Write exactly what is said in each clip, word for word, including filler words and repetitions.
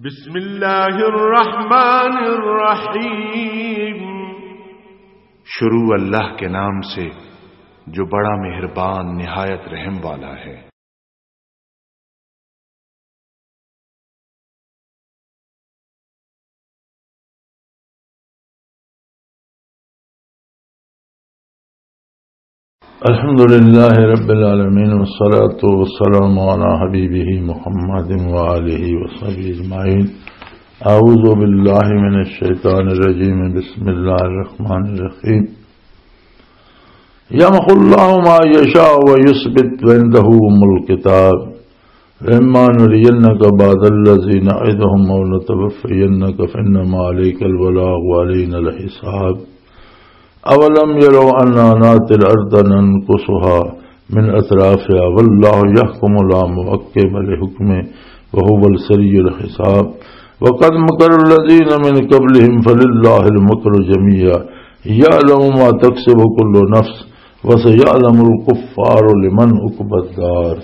بسم اللہ الرحمن الرحیم۔ شروع اللہ کے نام سے جو بڑا مہربان نہایت رحم والا ہے۔ الحمد لله رب العالمين، والصلاة والسلام على حبيبه محمد وآله وصحبه أجمعين. أعوذ بالله من الشيطان الرجيم. بسم الله الرحمن الرحيم. يمحو الله ما يشاء ويثبت وعنده أم الكتاب. وإما نرينك بعض الذي نعدهم أو نتوفينك فإنما عليك البلاغ وعلينا الحساب. أولم يروا أنا نأتي الأرض ننقصها من أطرافها والله يحكم لا معقب لحكمه وهو السريع الحساب. وقد مكر الذين من قبلهم فلله المكر جميعا يعلم ما تكسب كل نفس وسيعلم الكفار لمن عقبى الدار.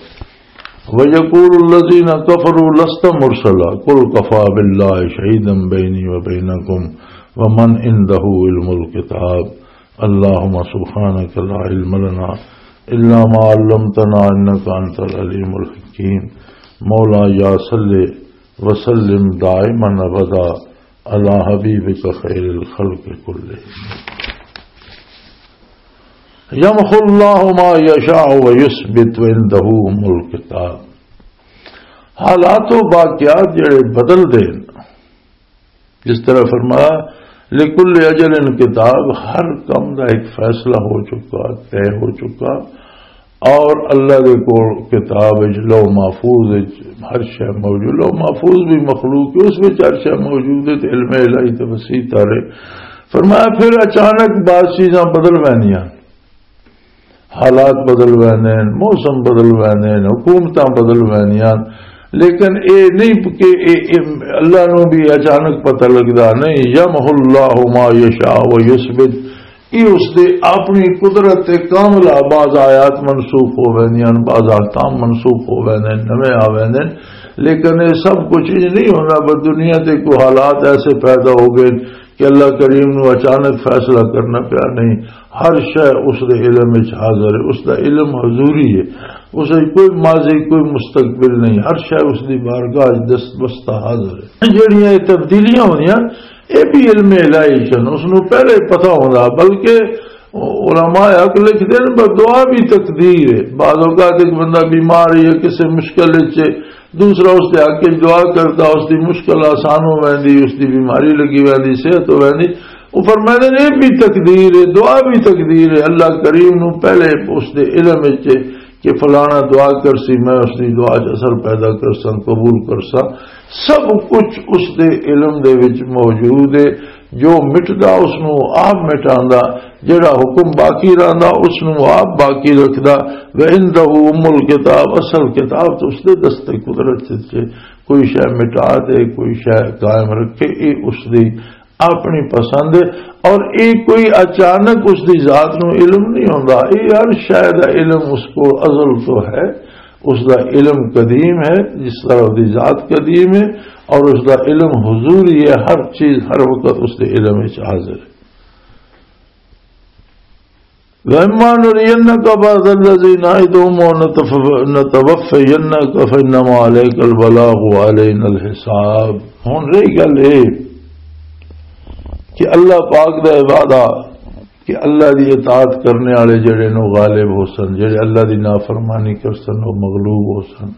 ويقول الذين كفروا لست مرسلا قل كفى بالله شهيدا بيني وبينكم ومن عنده علم الكتاب. اللهم سبحانك لا علم لنا إلا ما علمتنا إنك أنت العليم الحكيم. مولا يا صل وسلم دائما أبدا على حبيبك خير الخلق كلهم. يمحو الله ما يشاء ويثبت وعنده أم الكتاب. حالات و واقعات جڑے بدل دے، جس طرح فرمایا، لکل اجل کتاب، ہر کم دا ایک فیصلہ ہو چکا، طے ہو چکا، اور اللہ دے کول کتاب وچ، لوح محفوظ وچ ہر شے موجود۔ لوح محفوظ بھی مخلوق ہے، اس وچ ہر شے موجود ہے، تے علم الہی تے وسیع تر ہے۔ فرمایا، پھر اچانک بعض چیزاں بدل ویندیاں، حالات بدل ویندے نے، موسم بدل ویندے نے، حکومتاں بدل ویندیاں، لیکن اے نہیں کہ اے، اے اللہ نو بھی اچانک پتہ لگدا، نہیں۔ یمحو اللہ ما یشاء و یثبت، یہ اس دے اپنی قدرت تے کاملہ۔ بعض آیات منسوخ ہو ویندیاں، بعض احکام منسوخ ہو ویندے نے، نویں آ ویندے نے، لیکن یہ سب کچھ انج نہیں ہوندا۔ بس دنیا تے کوئی حالات ایسے پیدا ہو گئے کہ اللہ کریم نو اچانک فیصلہ کرنا پیا، نہیں، ہر شے اس دے علم وچ حاضر ہے، اس دا علم حضوری ہے، اس وچ کوئی ماضی، کوئی مستقبل نہیں، ہر شے اس دی بارگاہ وچ دستبستہ حاضر ہے۔ جڑیاں یہ تبدیلیاں ہوندیاں، یہ بھی علم الہی چن، اس نو پہلے پتہ ہوندا، بلکہ علماء حق لکھدے نے، پر دعا بھی تقدیر ہے۔ بعض اوقات ایک بندہ بیمار ہے یا کسی مشکل وچ ہے، دوسرا اس دے حق وچ دعا کردا، اس دی مشکل آسان ہو ویندی، اس دی بیماری لگی ویندی، صحت ہو ویندی۔ وہ فرماندے نے، یہ بھی تقدیر ہے، دعا بھی تقدیر ہے۔ اللہ کریم نو پہلے اس دے علم وچ ہے کہ فلانا دعا کرسی، میں اس دی دعا چ اثر پیدا کرساں، قبول کرساں۔ سب کچھ اس دے علم دے وچ موجود ہے۔ جو مٹدا، اس نو آپ مٹاندا، جڑا حکم باقی رہندا، اس نو آپ باقی رکھدا۔ وعنده ام الکتاب، اصل کتاب تو اس دے دست قدرت وچ ہے۔ کوئی شے مٹا دے، کوئی شے قائم رکھے، یہ اس دی اپنی پسند ہے۔ اور یہ کوئی اچانک اس دی ذات نو علم نہیں ہوندا، یہ ہر شے دا علم اس کو ازل تو ہے۔ اس دا علم قدیم ہے، جس طرح اس دی ذات قدیم ہے، اور اس دا علم حضوری ہے، ہر چیز ہر وقت اس دے علم وچ حاضر ہے۔ وَإِمَّا نُرِيَنَّكَ بَعْضَ الَّذِي نَعِدُهُمْ أَوْ نَتَوَفَّيَنَّكَ فَإِنَّمَا عَلَيْكَ الْبَلَاغُ وَعَلَيْنَا الْحِسَابُ۔ ہن رہی گل اے کہ اللہ پاک دا وعدہ کہ اللہ دی اطاعت کرنے والے جڑے نو غالب ہو سن، جڑے اللہ دی نافرمانی کر سن، وہ مغلوب ہو سن۔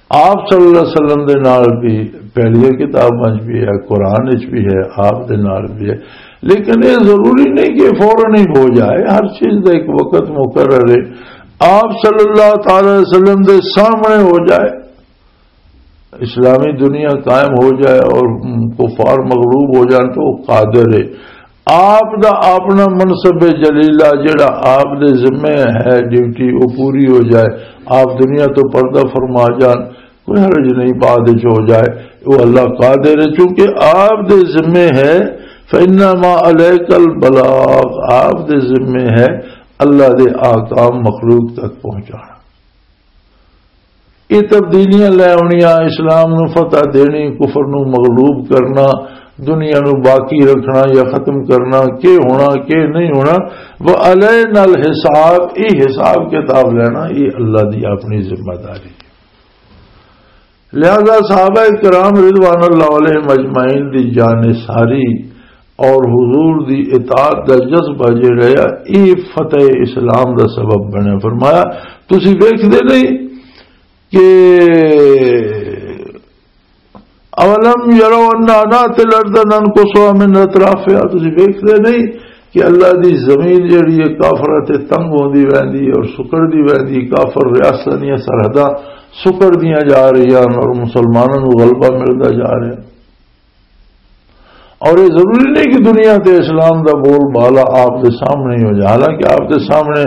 آپ صلی اللہ علیہ وسلم دے نال بھی پہلی کتاب وچ بھی ہے، قرآن وچ بھی ہے، آپ دے نال بھی ہے۔ لیکن یہ ضروری نہیں کہ فوراً ہی ہو جائے، ہر چیز دا ایک وقت مقرر ہے۔ آپ صلی اللہ تعالی علیہ وسلم دے سامنے ہو جائے، اسلامی دنیا قائم ہو جائے اور کفار مغلوب ہو جان تو وہ قادر ہے۔ آپ دا اپنا منصب جلیلہ جڑا آپ دے ذمے ہے، ڈیوٹی وہ پوری ہو جائے، آپ دنیا تو پردہ فرما جان، کوئی حرج نہیں، بعد وچ ہو جائے، وہ اللہ قادر ہے، چونکہ آپ دے ذمے ہے۔ فَإِنَّمَا عَلَيْكَ الْبَلَاغُ، آپ دے ذمے ہے اللہ دے احکام مخلوق تک پہنچانا۔ یہ تبدیلیاں لے آنیاں، اسلام نو فتح دینی، کفر نو مغلوب کرنا، دنیا نو باقی رکھنا یا ختم کرنا، کی ہونا، کی نہیں ہونا، وَعَلَيْنَا الْحِسَابُ، یہ حساب کتاب لینا، یہ اللہ دی اپنی ذمہ داری ہے۔ لہذا صحابہ کرام رضوان اللہ علیہم اجمعین دی جان ساری اور حضور دی اطاعت دا جذبہ جڑا ہے، یہ فتح اسلام دا سبب بنے۔ فرمایا، تسی ویکھدے نہیں کہ اولم یرو انا ناتی الارض ننقصها من اطرافها، تسی ویکھدے نہیں کہ اللہ دی زمین جڑی ہے کافراں تے تنگ ہوندی ویندی ہے اور سکڑدی ویندی، کافر ریاستاں دیاں سرحداں سکڑدیاں جا رہیاں اور مسلماناں نوں غلبہ ملدا جا رہیا۔ اور یہ ضروری نہیں کہ دنیا تے اسلام دا بول بالا آپ دے سامنے ہی ہو جائے، حالانکہ آپ دے سامنے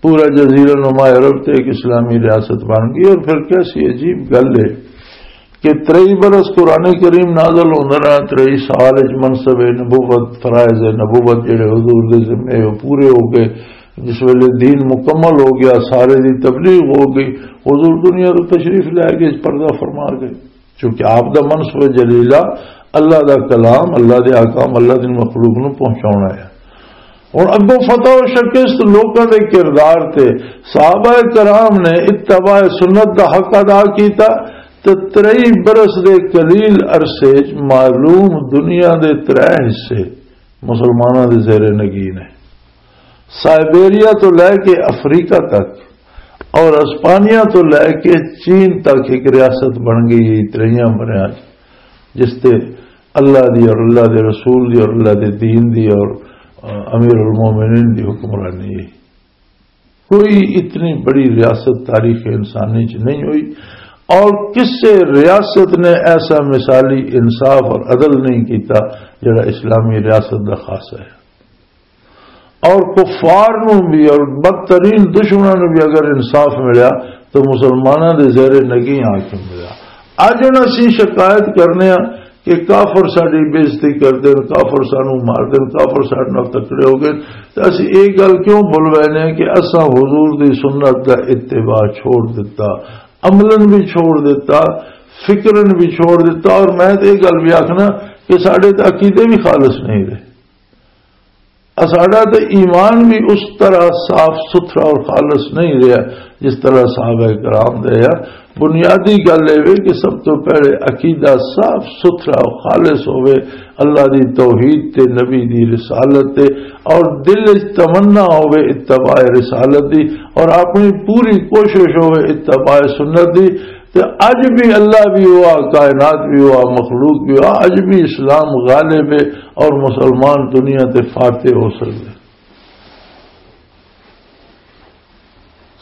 پورا جزیرہ نما عرب تے ایک اسلامی ریاست بن گئی، اور پھر کیسی عجیب گل ہے کہ ترئی برس قرآن کریم نازل ہوندا رہا، ترئی سال وچ منصب نبوت، فرائض نبوت جڑے حضور دے ذمے، وہ پورے ہو گئے۔ جس ویلے دین مکمل ہو گیا، سارے دی تبلیغ ہو گئی، حضور دنیا تو تشریف لے گئے، پردہ فرما گئے۔ چونکہ آپ دا منصب جلیلہ اللہ دا کلام، اللہ دے احکام، اللہ دی مخلوق نوں پہنچاونا ہے۔ ہن اگوں فتح و شکست لوکاں دے کردار تے، صحابہ کرام نے اتباع سنت دا حق ادا کیتا تے ترئی برس دے قلیل عرصے وچ معلوم دنیا دے ترے حصے مسلماناں دے زیر نگین ہے۔ سائبیریا تو لے کے افریقہ تک اور اسپانیہ تو لے کے چین تک ایک ریاست بن گئی ہے تریاں بریاں چ، جس تے اللہ دی اور اللہ دے رسول دی اور اللہ دے دین دی اور، آ، امیر المومنین دی حکمرانی ہے۔ کوئی اتنی بڑی ریاست تاریخ انسانی چ نہیں ہوئی، اور کسے ریاست نے ایسا مثالی انصاف اور عدل نہیں کیتا جڑا اسلامی ریاست دا خاص ہے۔ اور کفار نوں بھی اور بدترین دشمناں نوں بھی اگر انصاف ملیا تو مسلماناں دے زیر نگی آ کے ملیا۔ اج ہن اسی شکایت کرنے ہاں کہ کافر ساڈی بے عزتی کردے نے، کافر سانوں مار دے نے، کافر ساڈے نال تکڑے ہو گئے، تے اسی ایک گل کیوں بھول بیٹھے ہیں کہ اساں حضور دی سنت دا اتباع چھوڑ دتا، عملاً بھی چھوڑ دتا، فکراً بھی چھوڑ دتا، اور میں تے یہ گل بھی آکھنا کہ ساڈے تے عقیدے بھی خالص نہیں رہے۔ اساڈا تے ایمان بھی اس طرح صاف ستھرا اور خالص نہیں رہا جس طرح صحابہ کرام دے ہے۔ بنیادی گل اے وے کہ سب تو پہلے عقیدہ صاف ستھرا اور خالص ہوے، اللہ دی توحید تے نبی دی رسالت تے، اور دل وچ تمنا ہوے اتباع رسالت دی، اور اپنی پوری کوشش ہوے اتباع سنت دی۔ تے اج بھی اللہ بھی ہوا، کائنات بھی ہوا، مخلوق بھی ہوا، اج بھی اسلام غالب ہے اور مسلمان دنیا تے فاتح ہو سکدے۔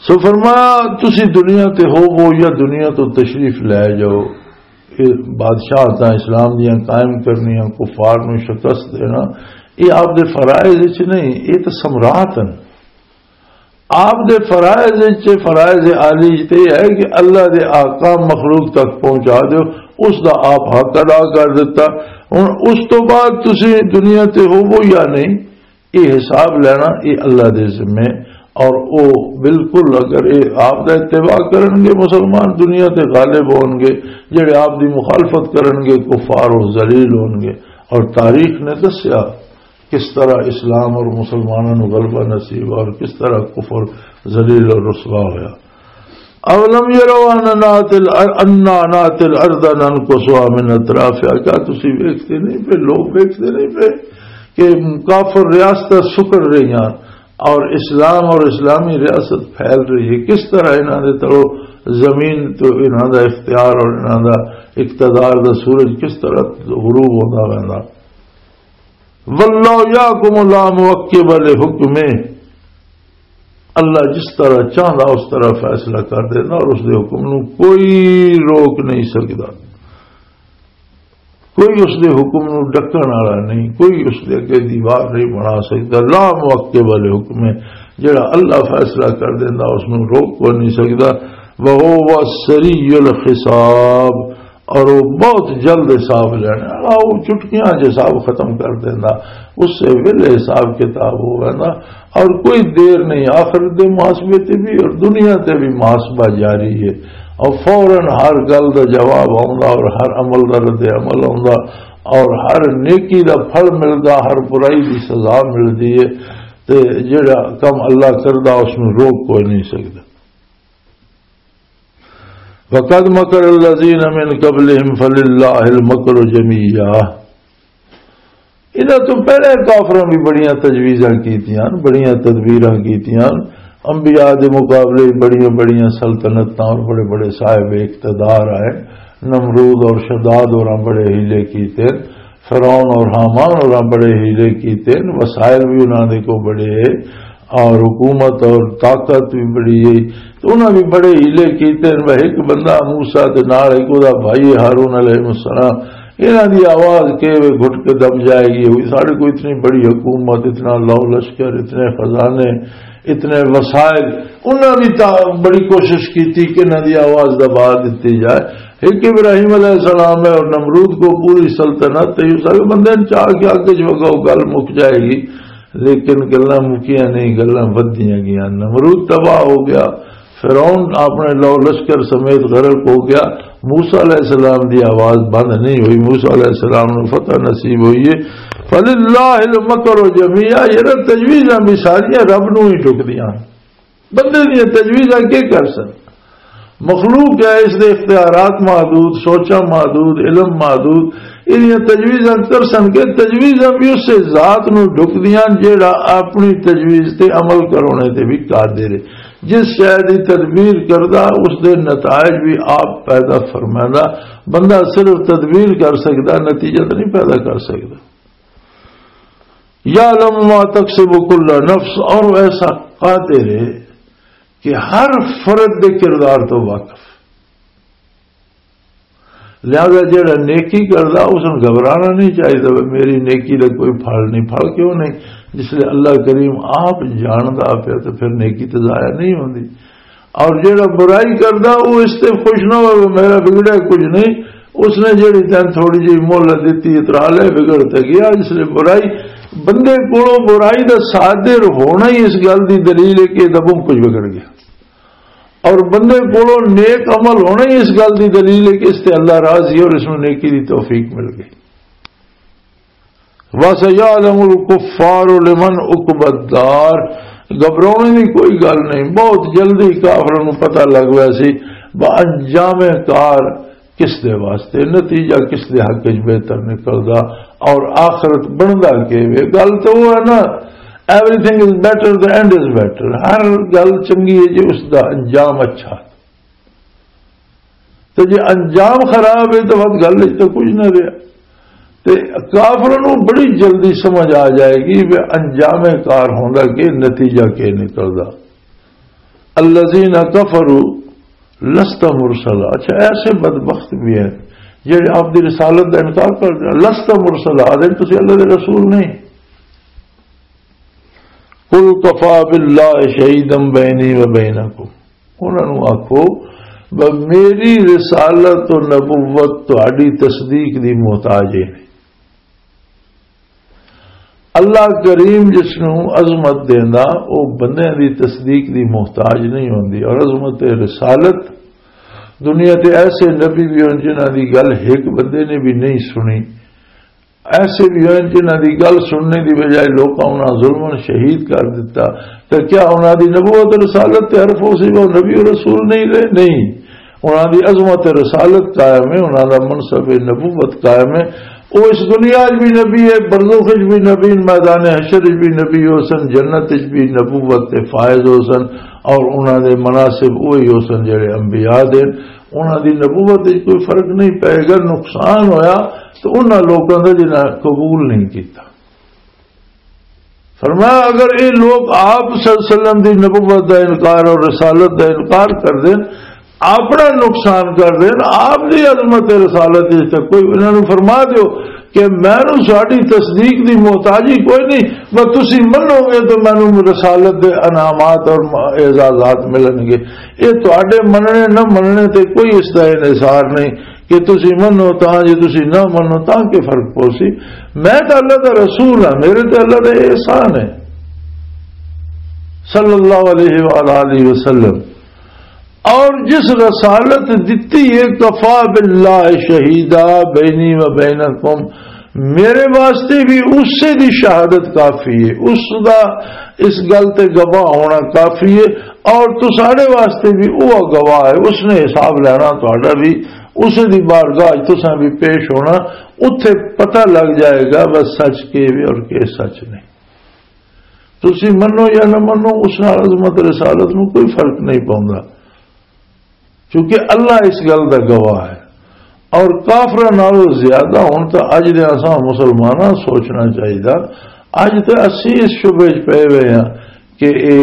سو فرمایا، تسی دنیا تے ہوو یا دنیا تو تشریف لے جاؤ، یہ بادشاہتاں اسلام دیاں قائم کرنیاں، کفار نوں شکست دینا، یہ آپ دے فرائض وچ نہیں، یہ تو سمراٹ ہیں۔ آپ دے فرائض وچ، فرائض عالی وچ تے یہ ہے کہ اللہ دے احکام مخلوق تک پہنچا دیو، اس دا آپ حق ادا کر دیتا۔ ہن اس تو بعد تسی دنیا تے ہوو یا نہیں، یہ حساب لینا یہ اللہ دے ذمے۔ اور او بالکل اگر یہ آپ دا اتباع کرن گے، مسلمان دنیا تے غالب ہون گے، جڑے آپ دی مخالفت کرن گے کفار و ذلیل ہون گے۔ اور تاریخ نے دسیا کس طرح اسلام اور مسلمانوں نوں غلبہ نصیب اور کس طرح کفر ذلیل اور رسوا ہویا۔ اولم یروا انا ناتی الار-، انا ناتی الارض ننقصها من اطرافها، کیا تسی ویکھتے نہیں پے، لوگ ویکھتے نہیں پے کہ کافر ریاستاں سکڑ رہی ہیں اور اسلام اور اسلامی ریاست پھیل رہی ہے؟ کس طرح انہاں دے تلو زمین تو انہاں دا اختیار اور انہاں دا اقتدار دا سورج کس طرح غروب ہوتا رہندا؟ واللہ یحکم لا معقب لحکمہ، اللہ جس طرح چاہندا اس طرح فیصلہ کر دینا اور اس دے حکم نو کوئی روک نہیں سکدا، کوئی اس دے حکم نو ڈکن والا نہیں، کوئی اس دے اگے دیوار نہیں بنا سکدا۔ لا معقب لحکمہ، جڑا اللہ فیصلہ کر دینا اس نو روک کوئی نہیں سکدا۔ وہو سریع الحساب، اور وہ بہت جلد حساب لینے والا، وہ چٹکیاں چ حساب ختم کر دینا، اس سے ویلے حساب کتاب ہو ویندا اور کوئی دیر نہیں۔ آخرت دے محاسبے تے بھی اور دنیا تے بھی محاسبہ جاری ہے۔ اور فوراً ہر گل دا جواب آوندا اور ہر عمل دا رد عمل آوندا اور ہر نیکی دا پھل ملدا، ہر برائی دی سزا ملدی ہے۔ تے جڑا کم اللہ کردا، اس نوں روک کوئی نہیں سکدا۔ وَقَدْ مَكَرَ الَّذِينَ مِنْ قَبْلِهِمْ فَلِلَّهِ الْمَكْرُ جَمِيعًا۔ انہاں تو پہلے کافراں بھی بڑیاں تجویزاں کیتیاں، بڑیاں تدبیراں کیتیاں، انبیاء دے مقابلے بڑیاں بڑیاں سلطنتاں اور بڑے بڑے صاحب اقتدار آئے۔ نمرود اور شداد اور بڑے ہیلے کیتے، فرعون اور حامان اور بڑے ہیلے کیتے، وسائل بھی انہاں دے کو بڑے، اور حکومت اور طاقت بھی بڑی ہے۔ تو انہاں بھی بڑے ہیلے کیتے ہیں۔ وہ ایک بندہ موسیٰ تے نال ایک اوہدا بھائی ہارون علیہ السلام، انہاں دی آواز کہ وہ گھٹ کے دب جائے گی، ہوئی ساڑھے کو اتنی بڑی حکومت، اتنا لو لشکر، اتنے خزانے، اتنے وسائل۔ انہاں بھی تا بڑی کوشش کیتی کہ انہاں دی آواز دبا دتی جائے۔ ایک ابراہیم علیہ السلام ہے اور نمرود کو پوری سلطنت ہے، یہ سارے بندے چاہ کے آگے جو گل مک جائے گی۔ لیکن گلاں مکیاں نہیں، گلاں ودھدیاں گیاں۔ نمرود تباہ ہو گیا، فرعون اپنے لو لشکر سمیت غرق ہو گیا۔ موسیٰ علیہ السلام دی آواز بند نہیں ہوئی، موسیٰ علیہ السلام نو فتح نصیب ہوئی ہے۔ فَلِلَّهِ الْمَكْرُ جَمِيعًا، یہ نا تجویزاں بھی ساریاں رب نو ہی ٹکدیاں۔ بندے دیاں تجویزاں کی کر سن؟ مخلوق ہے، اس دے اختیارات محدود، سوچاں محدود، علم محدود۔ ایہدیاں تجویزاں کر سن کہ تجویزاں بھی اس ذات نو ڈھکدیاں جیڑا اپنی تجویز تے عمل کرونے تے بھی قادر ہے۔ جس شے دی تدبیر کردا، اس دے نتائج بھی آپ پیدا فرمیندا۔ بندہ صرف تدبیر کر سکدا، نتیجہ تو نہیں پیدا کر سکدا۔ یعلم ما تکسب کل نفس، اور ایسا قادر ہے کہ ہر فرد دے کردار تو واقف۔ لہذا جڑا نیکی کردا، اس نوں گھبرانا نہیں چاہیدا، "وے میری نیکی دا کوئی پھل نہیں۔" پھل کیوں نہیں؟ جس لئے اللہ کریم آپ جاندا پیا، تو پھر نیکی تو ضائع نہیں ہوندی۔ اور جڑا برائی کردا، وہ اس تے خوش نہ ہوئے، "میرا بگڑیا کچھ نہیں۔" اس نے جڑی تین تھوڑی جہی مہلت دتی، اترا لے، بگڑ تے گیا۔ اس لئے برائی، بندے کولوں برائی دا صادر ہونا ہی اس گل دی دلیل ہے کہ یہ دبوں کچھ بگڑ گیا۔ اور بندے کولوں نیک عمل ہونا ہی اس گل دی دلیل ہے کہ اس تے اللہ راضی ہے اور اس نوں نیکی دی توفیق مل گئی۔ وَسَيَعْلَمُ الْكُفَّارُ لِمَنْ عُقْبَى الدَّارِ۔ گھبرانے دی کوئی گل نہیں، بہت جلدی کافراں نوں پتہ لگ ویسی با انجام کار کس دے واسطے، نتیجہ کس دے حق وچ بہتر نکلدا اور آخرت بندا کی وے۔ گل تے وہ ہے نا، everything is better, the end is better۔ ہر گل چنگی ہے جی اس دا انجام اچھا۔ تے جے انجام خراب ہے تو وقت گل وچ تو کچھ نہ رہیا۔ تے کافراں نوں بڑی جلدی سمجھ آ جائے گی کہ انجام کار ہوندا کہ نتیجہ کے نکلدا۔ الذین کفروا لست مرسلا۔ اچھا، ایسے بدبخت بھی ہیں جڑے آپ دی رسالت دا انکار کر دے، لست مرسلا، آدھے تسی اللہ دے رسول نہیں۔ قل کفی باللہ شہیدا بینی و بینکم۔ انہاں نوں آکھو، "ب-، میری رسالت و نبوت تہاڈی تصدیق دی محتاج ہے نہیں۔" اللہ کریم جس نوں عظمت دیندا، او بندیاں دی تصدیق دی محتاج نہیں ہوندی۔ اور عظمت رسالت، دنیا تے ایسے نبی بھی ہن جنہاں دی گل ایک بندے نے بھی نہیں سنی، ایسے بھی ہوئے جنہاں دی گل سننے دی بجائے لوکاں انہاں ظلماً شہید کر دتا۔ تے کیا انہاں دی نبوت رسالت تے حرف ہو سی، وہ نبی و رسول نہیں رہے؟ نہیں۔ انہاں دی عظمت رسالت قائم ہے، انہاں دا منصب نبوت قائم ہے۔ وہ اس دنیا وچ بھی نبی ہے، برزخ وچ بھی نبی، میدان حشر وچ بھی نبی ہو سن، جنت وچ بھی نبوت تے فائز ہو سن، اور انہاں دے مناسب وہی ہو سن جڑے انبیاء دے۔ انہاں دی نبوت وچ کوئی فرق نہیں پائے گا، نقصان ہویا تو انہاں لوکاں دا جنہاں قبول نہیں کیتا۔ فرمایا، اگر یہ لوگ آپ صلی اللہ علیہ وسلم دی نبوت دا انکار اور رسالت دا انکار کر دین، اپنا نقصان کر دین، آپ دی عظمت رسالت وچ تے کوئی، انہاں نوں فرما دیو کہ مینوں ساڈی تصدیق دی محتاجی کوئی نہیں، بس تسی منو گے تو مینوں رسالت دے انعامات اور اعزازات ملن گے۔ یہ تہاڈے مننے نہ مننے تے کوئی اس دا انحصار نہیں کہ تسی منو تاں، جے تسی نہ منو تاں، کے فرق پوسی؟ میں تے اللہ دا رسول ہاں، میرے تے اللہ دا احسان ہے، صلی اللہ علیہ وآلہ وسلم۔ اور جس رسالت دتی ہے، کفا باللہ شہیدا بینی و بینکم، میرے واسطے بھی اسے دی شہادت کافی ہے، اس دا اس گل تے گواہ ہونا کافی ہے۔ اور تساڈے واسطے بھی وہ گواہ ہے، اس نے حساب لینا تہاڈا بھی، اسے دی بارگاہ وچ تساں بھی پیش ہونا۔ اتھے پتہ لگ جائے گا بس سچ کے بھی اور کے سچ نہیں۔ تسی منو یا نہ منو، اس نال عظمت رسالت نو کوئی فرق نہیں پوندا، کیونکہ اللہ اس گل دا گواہ ہے۔ اور کافراں نالوں زیادہ ہن تاں اج دے اساں مسلماناں سوچنا چاہیدا۔ اج تے اسی اس شبے وچ پئے ہوئے ہاں کہ اے،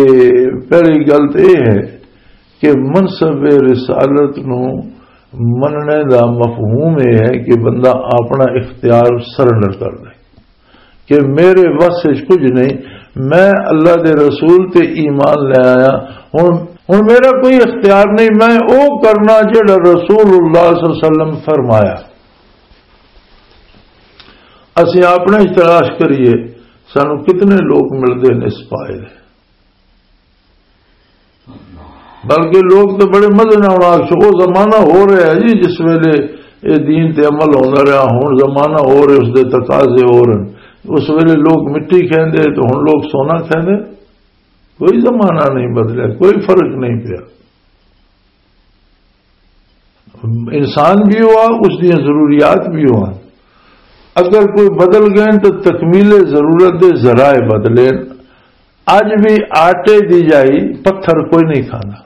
پہلی گل تے اے ہے کہ منصب رسالت نو مننے دا مفہوم اے ہے کہ بندہ اپنا اختیار سرنڈر کر دے کہ میرے وس وچ کچھ نہیں، میں اللہ دے رسول تے ایمان لے آیا، ہن ہن میرا کوئی اختیار نہیں، میں او کرنا جڑا رسول اللہ صلی اللہ علیہ وسلم فرمایا۔ اسی اپنے ہی تلاش کریے، سانو کتنے لوگ ملتے ہیں اس پائے دے۔ بلکہ لوگ تو بڑے مزے نال آخ، وہ زمانہ ہو رہا ہے جی، جس ویلے یہ دین تے عمل ہوندا رہا، ہن زمانہ ہو رہا، اس دے تقاضے ہو رہے ہیں۔ اس ویلے لوگ مٹی کھیندے تو ہن لوگ سونا کھیندے۔ کوئی زمانہ نہیں بدلیا، کوئی فرق نہیں پیا۔ انسان بھی ہوا، اس دی ضروریات بھی ہوا۔ اگر کوئی بدل گئے تو تکمیل ضرورت دے ذرائع بدلے۔ اج بھی آٹے دی جائی پتھر کوئی نہیں کھانا،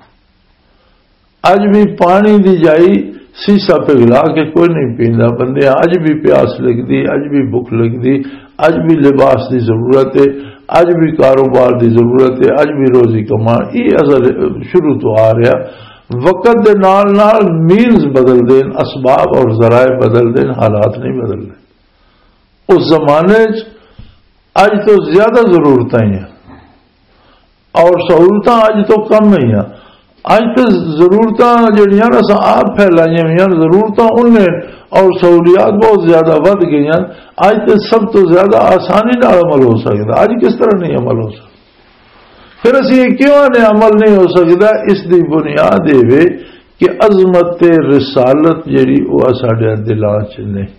اج بھی پانی دی جائی سیسا پگھلا کے کوئی نہیں پیندا۔ بندے اج بھی پیاس لگدی، اج بھی بھوک لگدی، اج بھی لباس دی ضرورت ہے، اج بھی کاروبار دی ضرورت ہے، اج بھی روزی کمان۔ یہ اصل شروع تو آ رہا۔ وقت دے نال نال مینز بدل دین، اسباب اور ذرائع بدل دین، حالات نہیں بدل دے۔ اس زمانے چ اج تو زیادہ ضرورتاں ہی ہیں اور سہولتاں اج تو کم ہی ہیں۔ اج تو ضرورتاں جڑیاں نا اساں آپ پھیلائیاں ہوئی ہیں، ضرورتاں انہیں اور سہولیات بہت زیادہ ودھ گئی ہیں۔ اج تو سب تو زیادہ آسانی نال عمل ہو سکدا، اج کس طرح نہیں عمل ہو سکدا؟ پھر اسی یہ کیوں آنے عمل نہیں ہو سکدا؟ اس دی بنیاد یہ وے کہ عظمت رسالت جڑی وہ ساڈے دلاں چ نہیں۔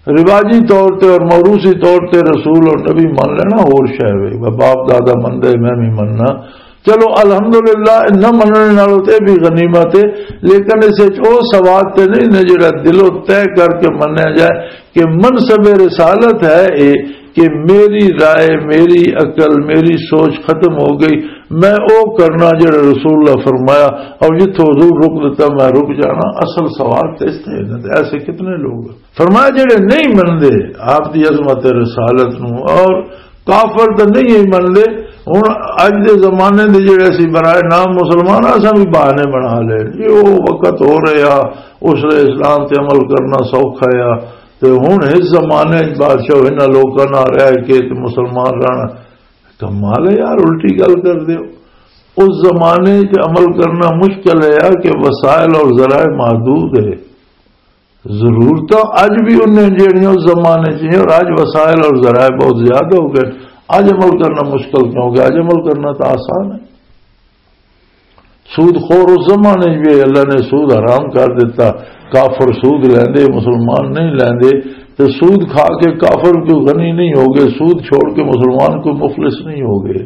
رواجی طور تے اور موروثی طور تے رسول اور نبی من لینا ہور شے وے، باپ دادا من دے، میں بھی مننا۔ چلو الحمدللہ، نہ مننے نالوں تے بھی غنیمت ہے، لیکن اس وچ او سواد تے نہیں نے جڑا دلوں طے کر کے منیا جائے کہ منصب رسالت ہے اے کہ میری رائے، میری عقل، میری سوچ ختم ہو گئی، میں او کرنا جڑا رسول اللہ فرمایا، اور جتھوں حضور رک دیتا میں رک جانا۔ اصل سوال تے اس تے ہے، ایسے کتنے لوگ ہیں۔ فرمایا جڑے نہیں مندے آپ دی عظمت رسالت نو اور کافر تے نہیں ہی مندے۔ ہن اج دے زمانے دے جڑے اسی برائے نام مسلمان آں، اساں بھی بہانے بنا لے جی، او وقت ہو رہا، اس لیے اسلام تے عمل کرنا سوکھا آ۔ تے ہن اس زمانے وچ بادشاہ انہاں لوکاں نال رہ کے تے مسلمان رہنا کمال ہے یار، الٹی گل کر دیو۔ اس زمانے وچ عمل کرنا مشکل ہے یار کہ وسائل اور ذرائع محدود ہے۔ ضرورتاں اج بھی انہیں جیڑیاں اس زمانے چ ہیں، اور اج وسائل اور ذرائع بہت زیادہ ہو گئے۔ اج عمل کرنا مشکل کیوں گیا؟ اج عمل کرنا تو آسان ہے۔ سود خور اس زمانے چ بھی اللہ نے سود حرام کر دیتا، کافر سود لیندے، مسلمان نہیں لیندے، تو سود کھا کے کافر کوئی غنی نہیں ہو گئے، سود چھوڑ کے مسلمان کوئی مفلس نہیں ہو گئے۔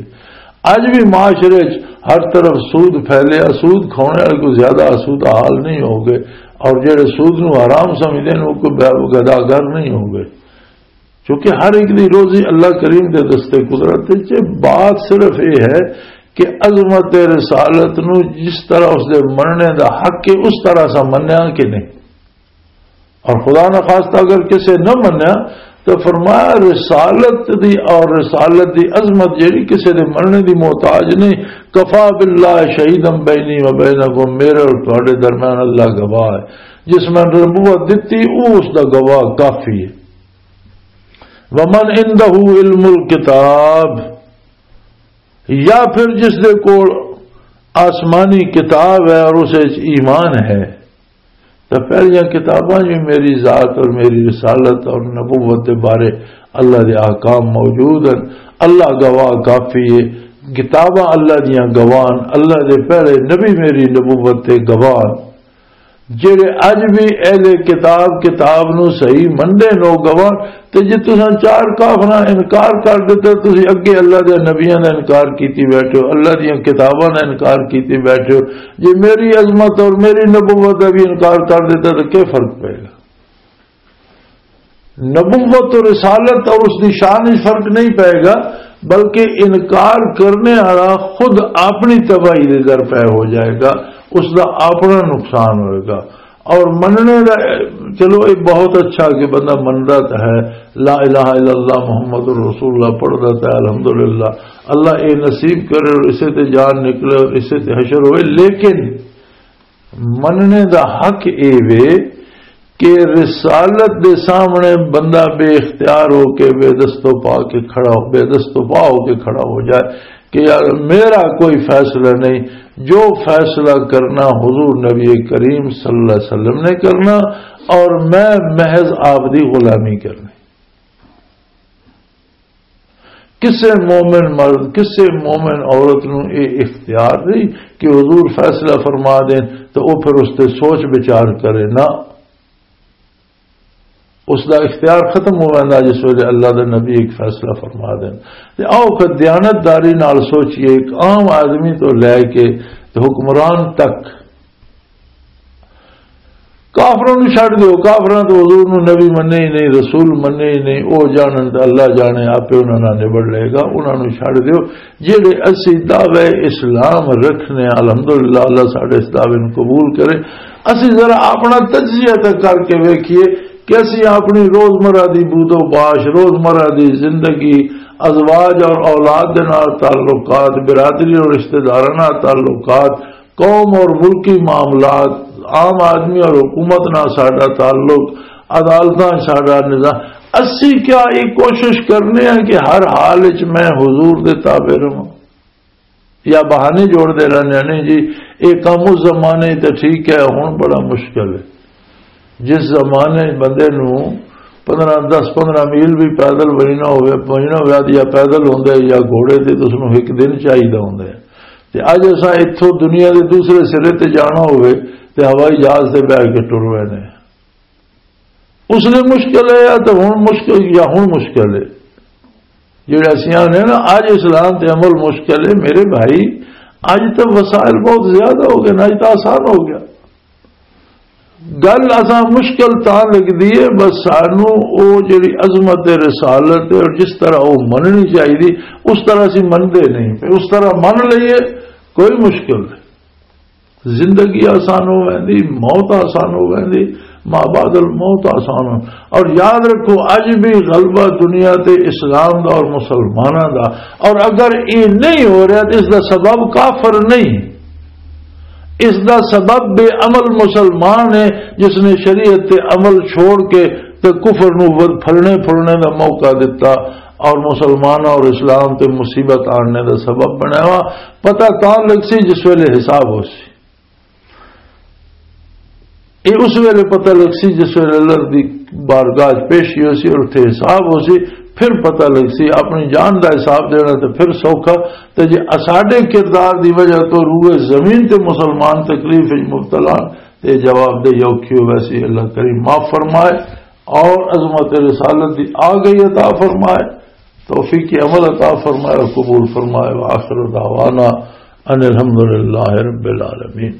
اج بھی معاشرے چ ہر طرف سود پھیلیا، سود کھانے والے کوئی زیادہ آسودہ حال نہیں ہو گئے، اور جڑے سود نو حرام سمجھدے نے، وہ کوئی بے-، گداگر نہیں ہو گئے، کیونکہ ہر ایک دی روزی اللہ کریم دے دستے قدرت ہے۔ بات صرف یہ ہے کہ عظمت رسالت نو جس طرح اس دے مننے دا حق ہے، اس طرح سا منیا کہ نہیں۔ اور خدا نہ خواستہ اگر کسے نہ منیا تو فرمایا، رسالت دی اور رسالت دی عظمت جیڑی کسے دے مننے دی محتاج نہیں۔ کفا باللہ شہیدا بینی و بینکم، میرے اور تہاڈے درمیان اللہ گواہ ہے۔ جس میں نبوت دتی، او اس دا گواہ کافی ہے۔ ومن عندہ علم الکتاب، یا پھر جس دے کول آسمانی کتاب ہے اور اس وچ ایمان ہے، تو پہلیاں کتاباں بھی میری ذات اور میری رسالت اور نبوت دے بارے اللہ دے احکام موجود ہیں۔ اللہ گواہ کافی ہے، کتاباں اللہ دیاں گواہن، اللہ دے پہلے نبی میری نبوت تے گواہن، جڑے اج بھی اہل کتاب، کتاب نو صحیح مننے نو گواہن۔ تے جے تساں چار کافراں انکار کر دتا، تسی اگے اللہ دے نبیاں دا انکار کیتی بیٹھے ہو، اللہ دیاں کتاباں دا انکار کیتی بیٹھے ہو۔ جے میری عظمت اور میری نبوت دا بھی انکار کر دتا تو کیا فرق پے گا؟ نبوت و رسالت اور اس دی شان وچ فرق نہیں پائے گا، بلکہ انکار کرنے والا خود اپنی تباہی دے در پہ ہو جائے گا، اس دا اپنا نقصان ہوئے گا۔ اور مننے دا، چلو، یہ بہت اچھا کہ بندہ مندا تو ہے، لا الہ الا اللہ محمد رسول اللہ پڑھدا تو ہے، الحمدللہ، اللہ اے نصیب کرے اور اسے تے جان نکلے اور اسے تے حشر ہوئے، لیکن مننے دا حق اے وے کہ رسالت دے سامنے بندہ بے اختیار ہو کے، بے دست و پا کے کھڑا ہو، بے دست و پا ہو کے کھڑا ہو جائے کہ یار، میرا کوئی فیصلہ نہیں، جو فیصلہ کرنا حضور نبی کریم صلی اللہ علیہ وسلم نے کرنا، اور میں محض آپ دی غلامی کرنی۔ کسے مومن مرد، کسے مومن عورت نو اے اختیار نہیں کہ حضور فیصلہ فرما دین تو او پھر اس تے سوچ بچار کرے۔ نہ، اس دا اختیار ختم ہو ویندا جس ویلے اللہ دے نبی ایک فیصلہ فرما دین۔ تے آؤ کہ دیانتداری نال سوچیے، ایک عام آدمی تو لے کے تے حکمران تک۔ کافراں نوں چھڈ دیو، کافراں تو حضور نوں نبی منے ہی نہیں، رسول منے ہی نہیں، او جانن تے اللہ جانے، آپے انہاں نال نبڑ لے گا، انہاں نوں چھڈ دیو۔ جڑے اسی دعوے اسلام رکھنے، الحمدللہ، اللہ ساڈے اس دعوے نوں قبول کرے۔ اسی ذرا اپنا تجزیہ تک کر کے ویکھیے کہ اسی اپنی روزمرہ دی بود و باش، روزمرہ دی زندگی، ازواج اور اولاد دے نال تعلقات، برادری اور رشتہ داراں نال تعلقات، قوم اور ملکی معاملات، عام آدمی اور حکومت نال ساڈا تعلق، عدالتاں ساڈا نظام، اسی کیا یہ کوشش کرنے ہیں کہ ہر حال وچ میں حضور دے تابع رہواں؟ یا بہانے جوڑ دے رہنے ہیں؟ نہیں جی، یہ کم اس زمانے تے ٹھیک ہے، ہن بڑا مشکل ہے۔ جس زمانے بندے نو پندرہ، دس پندرہ میل بھی پیدل وجنا ہوئے، وجنا ہویا تے یا پیدل ہوندا ہے یا گھوڑے تے، تے اس نو ایک دن چاہیدا ہوندا ہے۔ تے اج اساں اتھوں دنیا دے دوسرے سرے تے جانا ہوئے تے ہوائی جہاز تے بیٹھ کے ٹر وینے۔ اس لیے مشکل ہے یا تے ہن مشکل، یا ہن مشکل ہے؟ جڑے اسیاں نے نا، اج اسلام تے عمل مشکل ہے میرے بھائی، اج تے وسائل بہت زیادہ ہو گئے نا، اج تے آسان ہو گیا۔ گل اساں مشکل تاں لگدی ہے، بس سانو او جڑی عظمت رسالت ہے اور جس طرح او مننی چاہیے، اس طرح اسی مندے نہیں پے۔ اس طرح من لئیے، کوئی مشکل نہیں۔ زندگی آسان ہو ویندی، موت آسان ہو ویندی، ما بعد الموت آسان ہو۔ اور یاد رکھو، اج بھی غلبہ دنیا تے اسلام دا اور مسلماناں دا۔ اور اگر یہ نہیں ہو رہا تو اس دا سبب کافر نہیں، اس دا سبب بے عمل مسلمان ہے، جس نے شریعت تے عمل چھوڑ کے تے کفر نو ود-، پھلنے پھلنے دا موقع دتا اور مسلماناں اور اسلام تے مصیبت آننے دا سبب بنایا۔ پتہ تاں لگ سی جس ویلے حساب ہو سی۔ یہ اس ویلے پتہ لگ سی جس ویلے اللہ دی بارگاہ چ پیشی ہو سی اور اتھے حساب ہو سی۔ پھر پتہ لگ سی، اپنی جان دا حساب دینا تے پھر سوکھا۔ تے جے اساڈے کردار دی وجہ تو روئے زمین تے مسلمان تکلیف وچ مبتلا ہن، تے جواب دہ اوکھی ہو ویسی۔ اللہ کریم معاف فرمائے اور عظمت رسالت دی آ گئی عطا فرمائے، توفیق عمل عطا فرمائے اور قبول فرمائے۔ وآخر دعوانا ان الحمدللہ رب العالمین۔